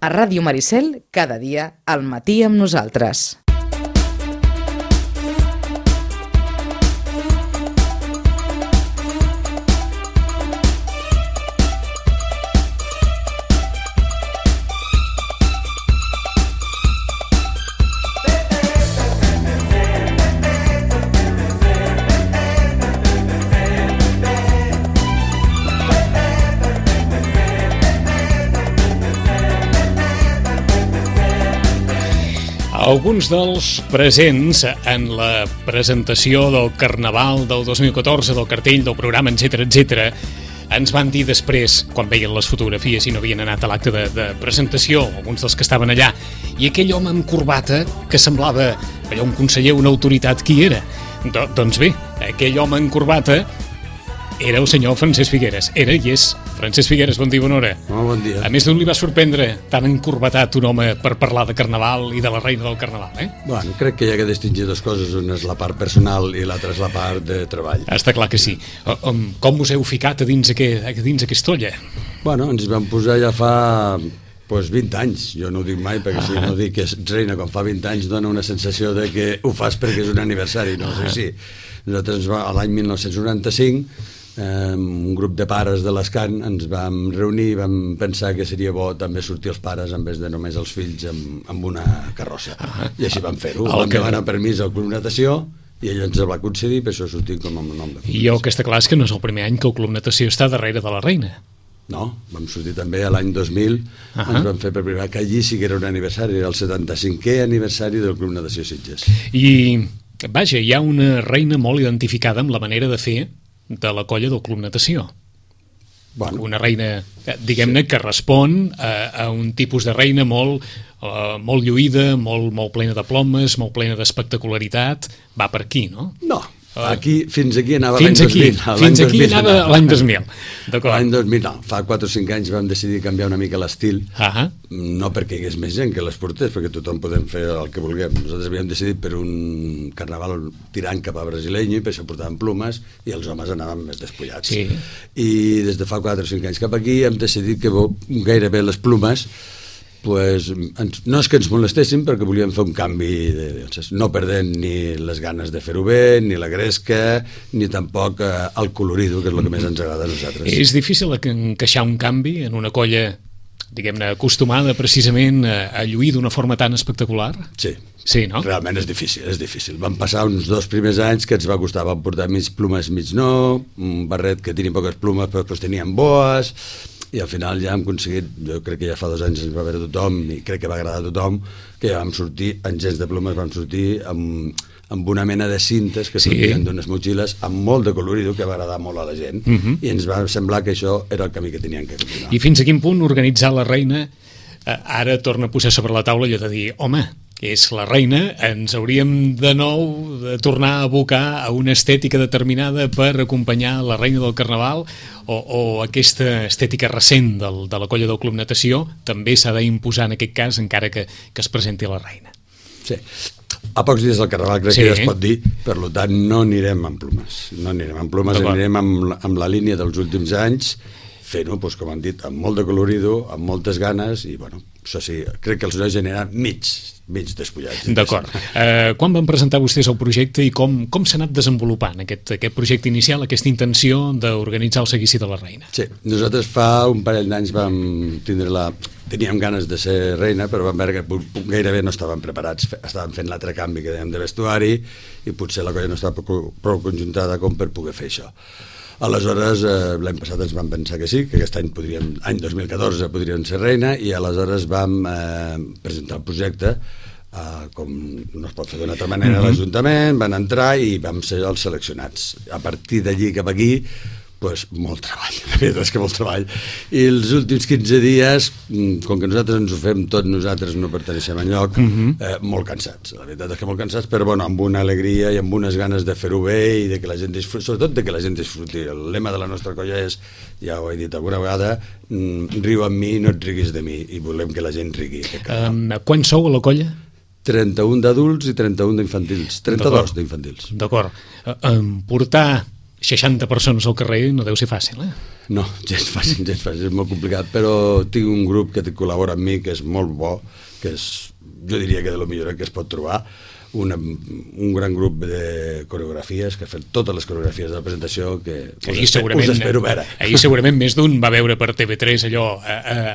A Ràdio Maricel, cada dia, al matí amb nosaltres. Alguns dels presents en la presentació del Carnaval del 2014, del cartell, del programa, etc., ens van dir després, quan veien les fotografies i no havien anat a l'acte de presentació, alguns dels que estaven allà, i aquell home amb corbata que semblava allò un conseller, una autoritat, qui era? Doncs bé, aquell home amb corbata era el senyor Francesc Figueres. Era i és. Francesc Figueres, bon dia, bona hora. Bon dia. A més d'un li va sorprendre tan encorbatat un home per parlar de Carnaval i de la reina del Carnaval, eh? Bueno, crec que hi ha que distingir dues coses. Una és la part personal i l'altra és la part de treball. Està clar que sí. Com us heu ficat a dins aquesta olla? Bueno, ens vam posar ja fa 20 anys. Jo no ho dic mai, perquè si no dic que és reina quan fa 20 anys dona una sensació de que ho fas perquè és un aniversari, no sé si. Nosaltres a l'any 1995 un grup de pares de l'Escan ens vam reunir i vam pensar que seria bo també sortir els pares en vez de només els fills amb una carrossa. I així vam fer-ho. Vam demanar permís al Club Natació i ell ens el va concedir, per això sortim com a nom de club. I el que està clar és que no és el primer any que el Club Natació està darrere de la reina. No, vam sortir també a l'any 2000, ens vam fer per primera, que allí sí que era un aniversari, era el 75è aniversari del Club Natació Sitges. I, vaja, hi ha una reina molt identificada amb la manera de fer de la colla del Club Natació. Bueno, una reina, diguem-ne, que respon a un tipus de reina molt lluïda, molt plena de plomes, molt plena d'espectacularitat. Va per aquí, no? No, fins aquí anava l'any 2000. Fins aquí anava l'any 2000. L'any 2000, no. Fa 4 o 5 anys vam decidir canviar una mica l'estil, no perquè hi hagués més gent que les portés, perquè tothom podem fer el que vulguem. Nosaltres havíem decidit per un carnaval tirant cap a brasileño i per això portàvem plomes i els homes anaven més despullats. Sí. I des de fa 4 o 5 anys cap aquí hem decidit que gairebé les plomes no és que ens molestéssim, perquè volíem fer un canvi no perdent ni les ganes de fer-ho bé, ni la gresca, ni tampoc el colorido, que és el que més ens agrada a nosaltres. És difícil encaixar un canvi en una colla, diguem-ne, acostumada precisament a lluir d'una forma tan espectacular? Sí, no? Realment és difícil. Vam passar uns 2 primers anys que ens va costar, vam portar mig plomes, mig no, un barret que tenia poques plomes però després tenien boes, i al final ja hem aconseguit, jo crec que ja fa 2 anys ens va veure tothom i crec que va agradar a tothom, que ja vam sortir en gens de plomes, vam sortir amb una mena de cintes que sortien d'unes motxilles amb molt de colorido que va agradar molt a la gent i ens va semblar que això era el camí que teníem que continuar. I fins a quin punt organitzar la reina ara torna a posar sobre la taula allò de dir, home, és la reina, ens hauríem de nou de tornar a abocar a una estètica determinada per acompanyar la reina del Carnaval o aquesta estètica recent de la colla del Club Natació també s'ha d'imposar en aquest cas encara que es presenti la reina. Sí, a pocs dies del Carnaval crec que ja es pot dir, per tant no anirem amb plomes, anirem amb la línia dels últims anys fent-ho, com han dit, amb molt de colorido, amb moltes ganes i, bueno, això sí, crec que els nois generen mig despullats. D'acord. Quan van presentar vostès el projecte i com s'ha anat desenvolupant aquest projecte inicial, aquesta intenció d'organitzar el seguici de la reina? Sí, nosaltres fa un parell d'anys vam teníem ganes de ser reina, però vam veure que gairebé no estàvem preparats, estàvem fent l'altre canvi que dèiem de vestuari i potser la colla no estava prou conjuntada com per poder fer això. Aleshores, l'any passat ens vam pensar que sí, que aquest any any 2014 podríem ser reina, i aleshores vam presentar el projecte, com no es pot fer d'una altra manera a l'Ajuntament, van entrar i vam ser els seleccionats. A partir d'allí cap aquí, molt treball, la veritat és que molt treball. I els últims 15 dies, com que nosaltres ens ho fem tot, nosaltres no perteneixem enlloc, molt cansats. La veritat és que molt cansats, però amb una alegria i amb unes ganes de fer-ho bé i de que la gent disfruti, sobretot de que la gent disfruti. El lema de la nostra colla és, ja ho he dit alguna vegada, riu amb mi, no et riguis de mi, i volem que la gent rigui. Quants sou a la colla? 31 d'adults i 31 d'infantils. 32 d'infantils. D'acord. Portar 60 persones al carrer no deu ser fàcil, No, gens fàcil, és molt complicat, però tinc un grup que col·labora amb mi, que és molt bo, que és, jo diria que de lo millor que es pot trobar, un gran grup de coreografies que ha fet totes les coreografies de la presentació que us espero veure. Ahir segurament més d'un va veure per TV3 allò,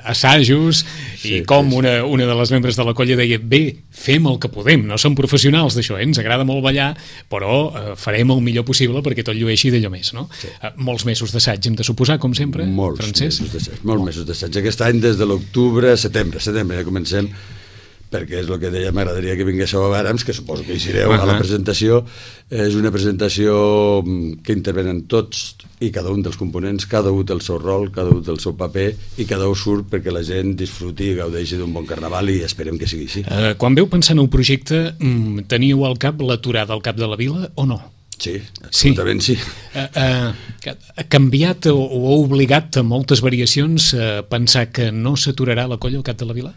assajos, i com una de les membres de la colla deia, bé, fem el que podem, no som professionals d'això, ens agrada molt ballar, però farem el millor possible perquè tot llueixi d'allò més, no? Sí. Molts mesos d'assaig hem de suposar, com sempre, Francesc? Molts mesos d'assaig. Aquest any des de l'octubre, setembre ja comencem, perquè és el que deia, m'agradaria que vinguéssiu a veure'ns, que suposo que hi sereu a la presentació. És una presentació que intervenen tots i cada un dels components, cada un té el seu rol, cada un té el seu paper i cada un surt perquè la gent disfruti i gaudeixi d'un bon carnaval i esperem que sigui així. Quan veu pensar en el projecte, teníeu al cap l'aturada al Cap de la Vila o no? Sí, absolutament sí. Ha canviat o ha obligat a moltes variacions a pensar que no s'aturarà la colla al Cap de la Vila?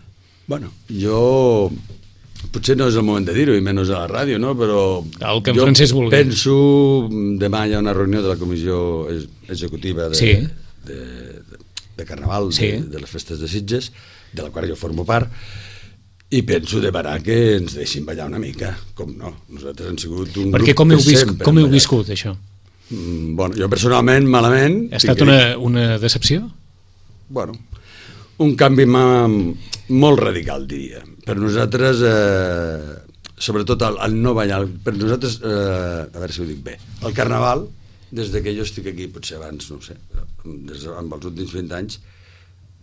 Bueno, jo... Potser no és el moment de dir-ho, i menys a la ràdio, no? Però el que en Francesc vulgui. Penso... Demà hi ha una reunió de la comissió executiva de Carnaval, de les festes de Sitges, de la qual jo formo part, i penso demanar que ens deixin ballar una mica, com no. Nosaltres hem sigut un grup que sempre... Com heu viscut, això? Bueno, jo personalment, malament... Ha estat una decepció? Bueno, un canvi molt radical, diria. Per nosaltres, sobretot el no ballar, per nosaltres, a veure si ho dic bé, el Carnaval, des que jo estic aquí, potser abans, no ho sé, amb els últims 20 anys,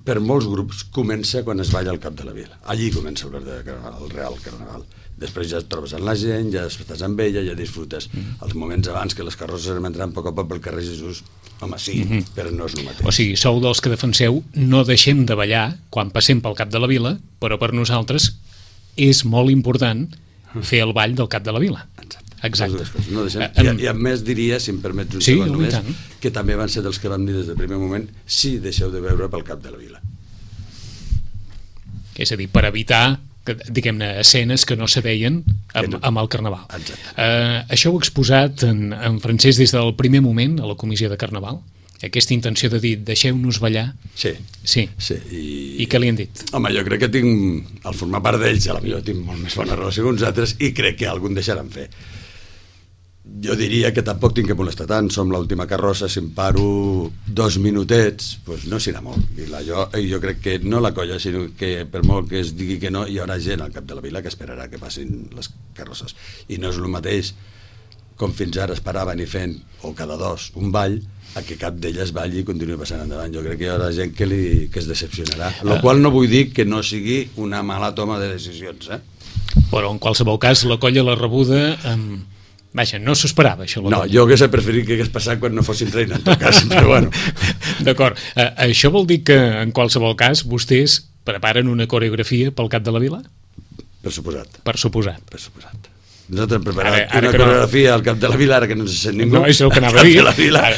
per molts grups comença quan es balla al Cap de la Vila. Allí comença el real Carnaval. Després ja et trobes amb la gent, ja estàs amb ella, ja disfrutes. Els moments abans que les carrosses anem entrant a poc a poc pel carrer Jesús, home, sí, però no és el mateix. O sigui, sou dels que defenseu no deixem de ballar quan passem pel Cap de la Vila, però per nosaltres és molt important fer el ball del Cap de la Vila. Exacte. No deixem. I a més diria, si em permets un segon només, que també van ser dels que vam dir des del primer moment, sí, deixeu de veure pel Cap de la Vila. És a dir, per evitar diguem-ne, escenes que no se veien amb el Carnaval. Això ho ha exposat en Francesc des del primer moment a la comissió de Carnaval? Aquesta intenció de dir, deixeu-nos ballar? Sí. I què li han dit? Home, jo crec que tinc, al formar part d'ells, a la millor tinc molt més bona relació que uns altres i crec que algun deixaran fer. Jo diria que tampoc tinc que molestar tant, som l'última carrossa, si em paro 2 minutets, doncs no serà molt. I jo crec que no la colla, sinó que per molt que es digui que no, hi haurà gent al Cap de la Vila que esperarà que passin les carrosses. I no és el mateix, com fins ara esperaven i fent, o cada 2, un ball, a que cap d'elles balli i continuï passant endavant. Jo crec que hi haurà gent que es decepcionarà, el qual no vull dir que no sigui una mala toma de decisions, Però en qualsevol cas, la colla la rebuda vaja, no s'ho esperava, això. No, jo hauria preferit que hagués passat quan no fossin reina, en tot cas, però bueno. D'acord. Això vol dir que, en qualsevol cas, vostès preparen una coreografia pel Cap de la Vila? Per suposat. Per suposat. Nosaltres hem preparat una coreografia al Cap de la Vila, ara que no se sent ningú. No, això és el que anava a dir. Cap de la Vila,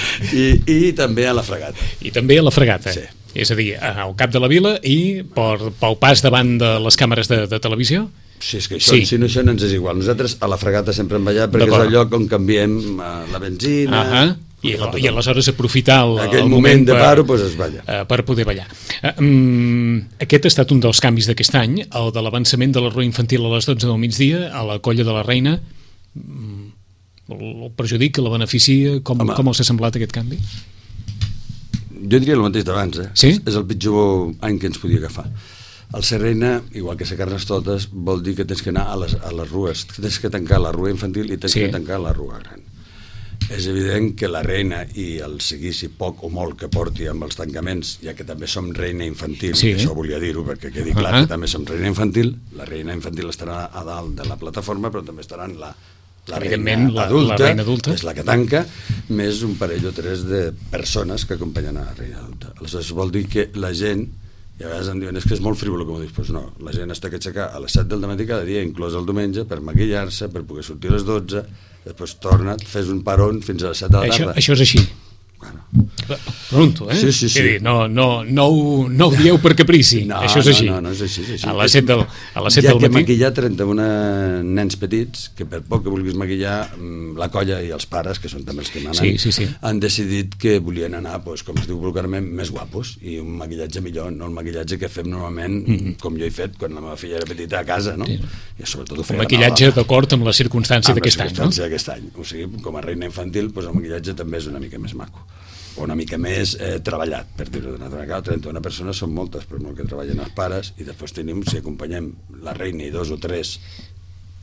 i també a la fregata. I també a la fregata. Sí. És a dir, al Cap de la Vila i pel pas davant de les càmeres de televisió? Sí, és que això, si no, això no ens és igual. Nosaltres a la fregata sempre hem ballat perquè és el lloc on canviem la benzina... I aleshores aprofitar aquell moment de paro, doncs es balla. Per poder ballar. Aquest ha estat un dels canvis d'aquest any, el de l'avançament de la rua infantil a les 12 del migdia a la Colla de la Reina. El perjudica, la beneficia? Com els ha semblat aquest canvi? Jo diria el mateix d'abans, Sí? És el pitjor any que ens podia agafar. El ser reina, igual que ser Carnestoltes, vol dir que tens que anar a les rues, tens que tancar la rua infantil i tens que tancar la rua gran. És evident que la reina i el seguici poc o molt que porti amb els tancaments, ja que també som reina infantil, això volia dir-ho perquè quedi clar que també som reina infantil, la reina infantil estarà a dalt de la plataforma, però també estarà en la reina adulta, és la que tanca, més un parell o 3 de persones que acompanyen a la reina adulta. Aleshores vol dir que la gent, i a vegades em diuen, és que és molt frívolo, com ho dius, doncs no, la gent està que aixecar a les 7 del matí cada dia, inclòs el diumenge, per maquillar-se, per poder sortir a les 12, després torna, fes un peron fins a les 7 de la tarda. Això és així. Bueno. Pregunto, Sí. No ho dieu per caprici, això és així. No és així. A les 7 del matí. Ja que maquillar 31 nens petits, que per poc que vulguis maquillar, la colla i els pares, que són també els que manen, sí. han decidit que volien anar, com es diu vulgarment, més guapos, i un maquillatge millor, no el maquillatge que fem normalment, com jo he fet quan la meva filla era petita a casa, no? Sí. I sobretot ho feia maquillatge d'acord amb la circumstància d'aquest any, no? d'aquest any. O sigui, com a reina infantil, el maquillatge també és una mica més maco, o una mica més treballat, per dir-ho d'una altra manera. 31 persones són moltes, però molt que treballen els pares, i després tenim, si acompanyem la reina i 2 o 3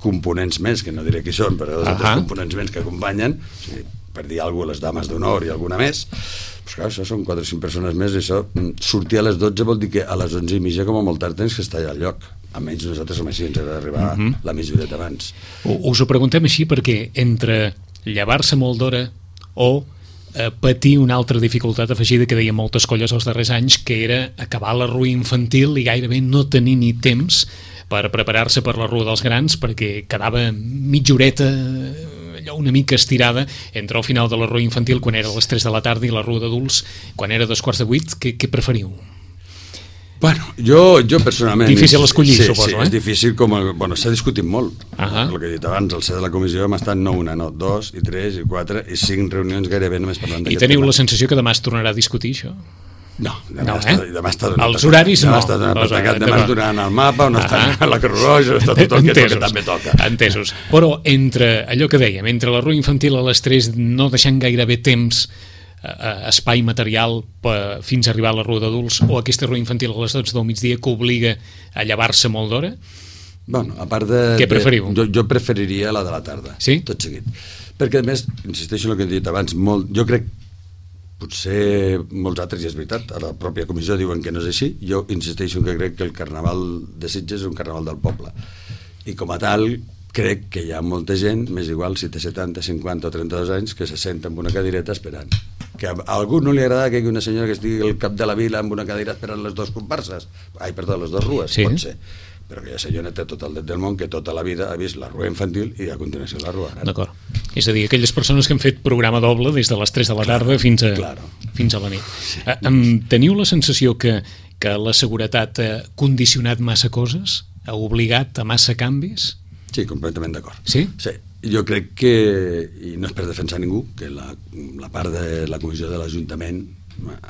components més, que no diré qui són, però 2 o 3 components més que acompanyen, o sigui, per dir alguna cosa, les dames d'honor i alguna més, doncs clar, això són 4 o 5 persones més, i això, sortir a les 12 vol dir que a les 11:30 com a molt tard tens que estar allà al lloc. Almenys nosaltres som així, ens agrada arribar la mitja horeta abans. Us ho preguntem així perquè entre llevar-se molt d'hora o patir una altra dificultat afegida que deien moltes colles els darrers anys, que era acabar la rua infantil i gairebé no tenir ni temps per preparar-se per la rua dels grans, perquè quedava mitja horeta allò una mica estirada entre el final de la rua infantil quan era a les 3 de la tarda i la rua d'adults quan era a 7:15. Què preferiu? Bueno, jo personalment... Difícil escollir, suposo, Sí, és difícil, s'ha discutit molt. El que he dit abans, al ser de la comissió hem estat no una, no 2, i 3, i 4, i 5 reunions gairebé només parlant d'aquest tema. I teniu la sensació que demà es tornarà a discutir, això? No, demà està donat. Els horaris no. Demà es donaran el mapa, on està la Creu Roja, està tot el que també toca. Entesos. Però entre allò que dèiem, entre la rua infantil a les 3, no deixant gairebé temps, espai material fins a arribar a la rua d'adults, o aquesta rua infantil a les 12 del migdia que obliga a llevar-se molt d'hora? Bueno, a part de... Què preferiu? Jo preferiria la de la tarda, tot seguit. Perquè, a més, insisteixo en el que he dit abans, jo crec, potser molts altres, i és veritat, a la pròpia comissió diuen que no és així, jo insisteixo que crec que el Carnaval de Sitges és un carnaval del poble. I com a tal, crec que hi ha molta gent, més igual si té 70, 50 o 32 anys, que se senta en una cadireta esperant. Que a algú no li agrada que hi hagi una senyora que estigui al cap de la vila amb una cadira esperant les 2 comparses. Les 2 rues, pot ser. Però aquella senyora té tot el dret del món, que tota la vida ha vist la rua infantil i a continuació la rua gran. D'acord. És a dir, aquelles persones que han fet programa doble des de les 3 de la tarda fins a la nit. Sí. Teniu la sensació que la seguretat ha condicionat massa coses? Ha obligat a massa canvis? Sí, completament d'acord. Sí? Sí. Jo crec que, i no és per defensar ningú, que la part de la comissió de l'Ajuntament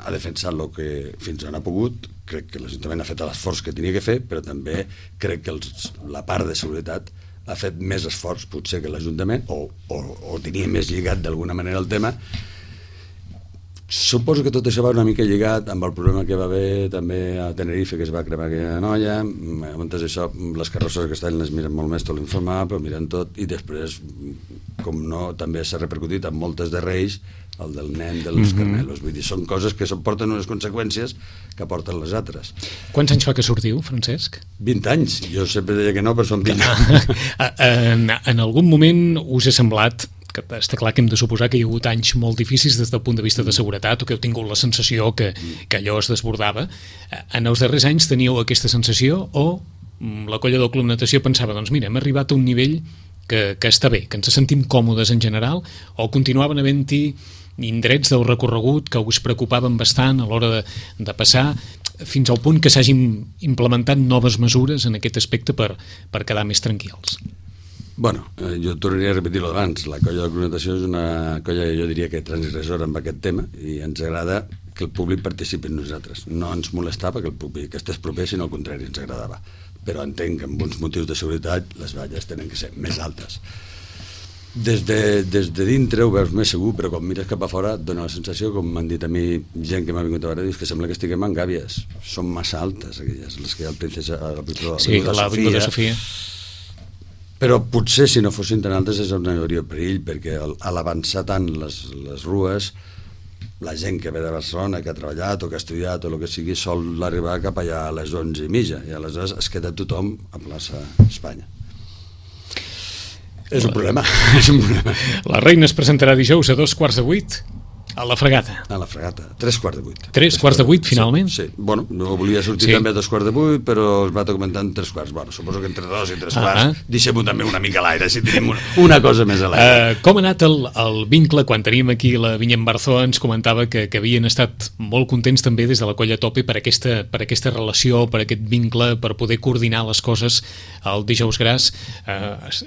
ha defensat el que fins on ha pogut. Crec que l'Ajuntament ha fet l'esforç que tenia que fer, però també crec que la part de seguretat ha fet més esforç potser que l'Ajuntament, o tenia més lligat d'alguna manera el tema. Suposo que tot això va una mica lligat amb el problema que va haver també a Tenerife, que es va cremar aquella noia. Abans això, les carrosses que estan les miren molt més tot l'informar, però miren tot, i després, com no, també s'ha repercutit amb moltes de Reis, el del nen dels Carmelos. Vull dir, són coses que porten unes conseqüències que porten les altres. Quants anys fa que sortiu, Francesc? 20 anys. Jo sempre deia que no, però són 20. En algun moment us ha semblat, que està clar que hem de suposar que hi ha hagut anys molt difícils des del punt de vista de seguretat, o que heu tingut la sensació que allò es desbordava. En els darrers anys teníeu aquesta sensació, o la colla del Club Natació pensava, doncs mira, hem arribat a un nivell que està bé, que ens sentim còmodes en general, o continuaven havent-hi indrets del recorregut que us preocupaven bastant a l'hora de passar, fins al punt que s'hagin implementat noves mesures en aquest aspecte per quedar més tranquils? Bueno, jo tornaria a repetir-ho d'abans. La colla de Cronatació és una colla, jo diria que transgressora amb aquest tema, i ens agrada que el públic participi en nosaltres. No ens molestava que el públic estés proper, sinó al contrari, ens agradava. Però entenc que amb uns motius de seguretat les valles tenen que ser més altes. Des de dintre ho veus més segur, però quan mires cap a fora et dona la sensació, com m'han dit a mi gent que m'ha vingut a veure, dius que sembla que estiguem en gàbies. Són massa altes aquelles, les que hi ha al Princesa, a l'Avinguda Sofia. Però potser si no fossin tan altes és on hi hauria perill, perquè a l'avançar tant les rues, la gent que ve de Barcelona, que ha treballat o que ha estudiat o el que sigui, sol arribar cap allà a les 11:30, i aleshores es queda tothom a plaça Espanya. És un problema. La reina es presentarà dijous a 7:15. A la Fregata. A la Fregata, 7:45. 7:45, finalment? Sí. Bueno, no volia sortir també a 7:45, però es va comentar en 3:15. Bueno, suposo que entre 2 i 3:15 deixem-ho també una mica a l'aire, si tenim una cosa més a l'aire. Com ha anat el vincle? Quan teníem aquí la Vinyem Barzó ens comentava que havien estat molt contents també des de la Colla Tope per aquesta relació, per aquest vincle, per poder coordinar les coses. El Dijous Gras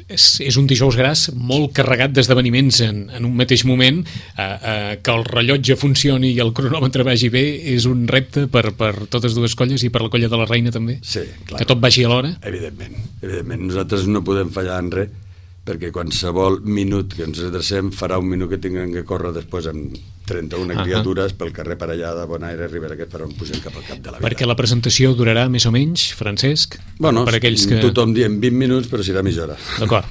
és un Dijous Gras molt carregat d'esdeveniments en un mateix moment, que el rellotge funcioni i el cronòmetre vagi bé és un repte per totes dues colles i per la Colla de la Reina també? Sí, clar. Que tot vagi a l'hora? Evidentment. Nosaltres no podem fallar en res, perquè qualsevol minut que ens retracem farà un minut que tinguem que córrer després amb 31 criatures pel carrer Parellada, Bonaire, Ribera, que per on pugem cap al Cap de la Vila. Perquè la presentació durarà més o menys, Francesc? Bueno, per aquells que... tothom diem 20 minuts, però serà mitja hora. D'acord.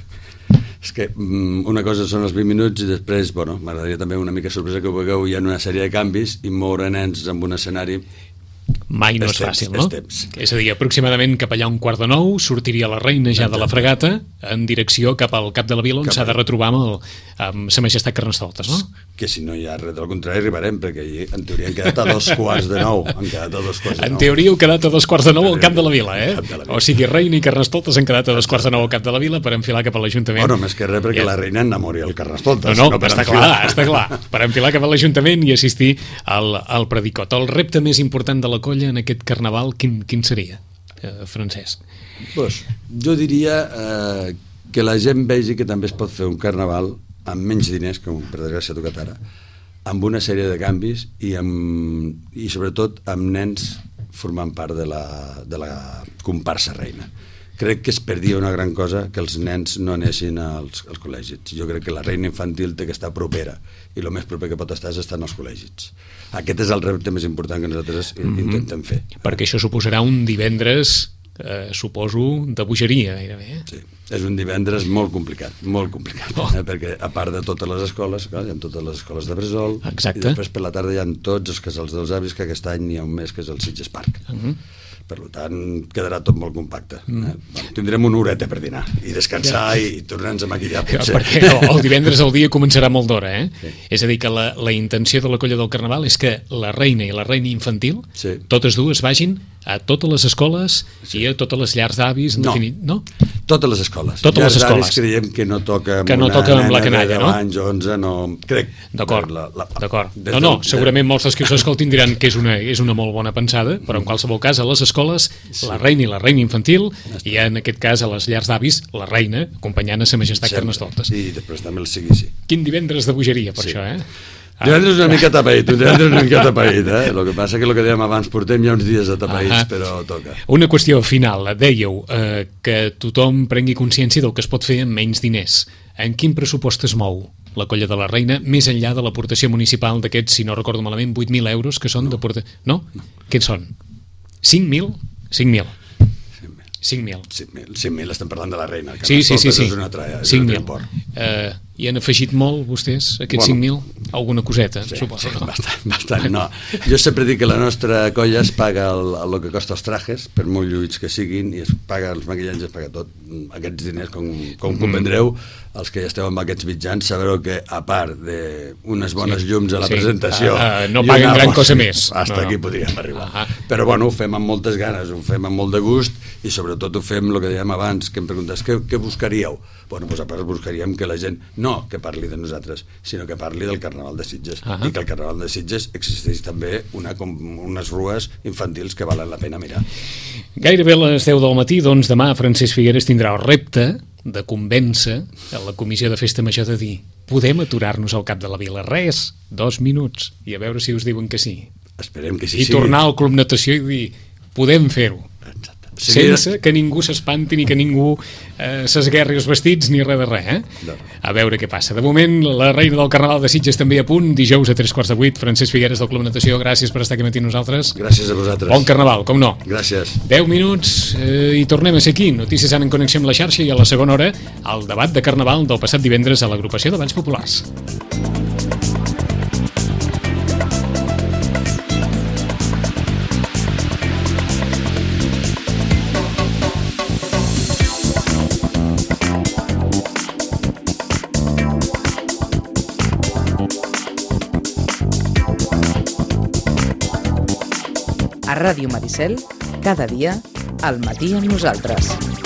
És que una cosa són els 20 minuts i després, bueno, m'agradaria també una mica sorpresa que ho vegueu, hi ha una sèrie de canvis i moure nens amb un escenari mai no és fàcil, no? És a dir, aproximadament cap allà 8:45 sortiria la Reina ja de la Fregata en direcció cap al Cap de la Vila, on s'ha de retrobar amb Sa Majestat Carnestoltes, no? Que si no hi ha res del contrari arribarem, perquè allí en teoria han quedat a 8:45. En teoria heu quedat a 8:45 al Cap de la Vila, eh? O sigui, Reina i Carnestoltes han quedat a 8:45 al Cap de la Vila per enfilar cap a l'Ajuntament. Bueno, més que res perquè la Reina enamori el Carnestoltes. No, està clar. Per enfilar cap a l'Ajuntament i assistir al predicot. El repte més important de la colla en aquest carnaval, quin seria, Francesc? Pues, jo diria que la gent vegi que també es pot fer un carnaval amb menys diners, com per desgràcia ha tocat ara, amb una sèrie de canvis i sobretot amb nens formant part de la comparsa Reina. Crec que es perdia una gran cosa que els nens no anessin als col·legis. Jo crec que la Reina Infantil té que estar propera i el més proper que pot estar és estar en els col·legis. Aquest és el repte més important que nosaltres intentem fer. Perquè això suposarà un divendres, suposo, de bogeria, gairebé. Sí, és un divendres molt complicat, perquè a part de totes les escoles, clar, hi ha totes les escoles de Bressol, i després per la tarda hi ha tots els casals dels avis, que aquest any n'hi ha un mes que és el Sitges Park. Per tant, quedarà tot molt compacte. Bueno, tindrem una horeta per dinar i descansar i tornar-nos a maquillar, potser. Perquè el divendres el dia començarà molt d'hora, eh? Sí. És a dir, que la intenció de la Colla del Carnaval és que la Reina i la Reina Infantil, totes dues vagin a totes les escoles i a totes les llars d'avis, no? Totes les escoles. Totes les escoles. Creiem que no toca amb una nena de 10 anys o 11, no... Crec. D'acord. No, segurament molts dels que us escoltin diran que és una molt bona pensada, però en qualsevol cas a les escoles, la Reina i la Reina Infantil, i en aquest cas a les llars d'avis, la Reina, acompanyant a Sa Majestat Carnestoltes. I després també el sigui. Quin divendres de bogeria, per això, eh? Divendres una mica tapaït, eh? El que passa que el que dèiem abans, portem ja uns dies atapeïts, però toca. Una qüestió final, dèieu que tothom prengui consciència del que es pot fer amb menys diners. En quin pressupost es mou la Colla de la Reina, més enllà de l'aportació municipal d'aquests, si no recordo malament, 8.000 euros que són d'aportació... No? Què són? 5.000? 5.000. 5.000, estem parlant de la Reina. Sí. 5.000. I han afegit molt, vostès, aquests 5.000? Alguna coseta, suposo. Bastant, no. Jo sempre dic que la nostra colla es paga el que costa els trajes, per molt lluïts que siguin, i es paga els maquillatges, es paga tot. Aquests diners, com comprendreu, els que ja esteu amb aquests mitjans, sabreu que, a part d'unes bones llums a la presentació... no paguen gran cosa més. Hasta aquí podríem arribar. Però, bueno, ho fem amb moltes ganes, ho fem amb molt de gust, i sobretot ho fem, el que dèiem abans, que em preguntes, què buscaríeu? Bueno, doncs a part buscaríem que la gent, no que parli de nosaltres, sinó que parli del Carnaval de Sitges, i que el Carnaval de Sitges existeix també unes rues infantils que valen la pena mirar. Gairebé a les 10 del matí, doncs demà Francesc Figueres tindrà el repte de convèncer a la Comissió de Festa Major de dir podem aturar-nos al Cap de la Vila, res, 2 minuts, i a veure si us diuen que sí. Esperem que sí. I tornar al Club Natació i dir podem fer-ho. Sense que ningú s'espanti ni que ningú s'esguerri els vestits ni res de res, eh? A veure què passa. De moment, la Reina del Carnaval de Sitges també a punt, dijous a 7:45, Francesc Figueres del Club Natació, gràcies per estar aquí matí nosaltres. Gràcies a vosaltres. Bon Carnaval, com no. Gràcies. 10 minuts i tornem a ser aquí. Notícies en connexió amb la xarxa i a la segona hora el debat de Carnaval del passat divendres a l'agrupació de Balls Populars. A Ràdio Maricel, cada dia, al matí amb nosaltres.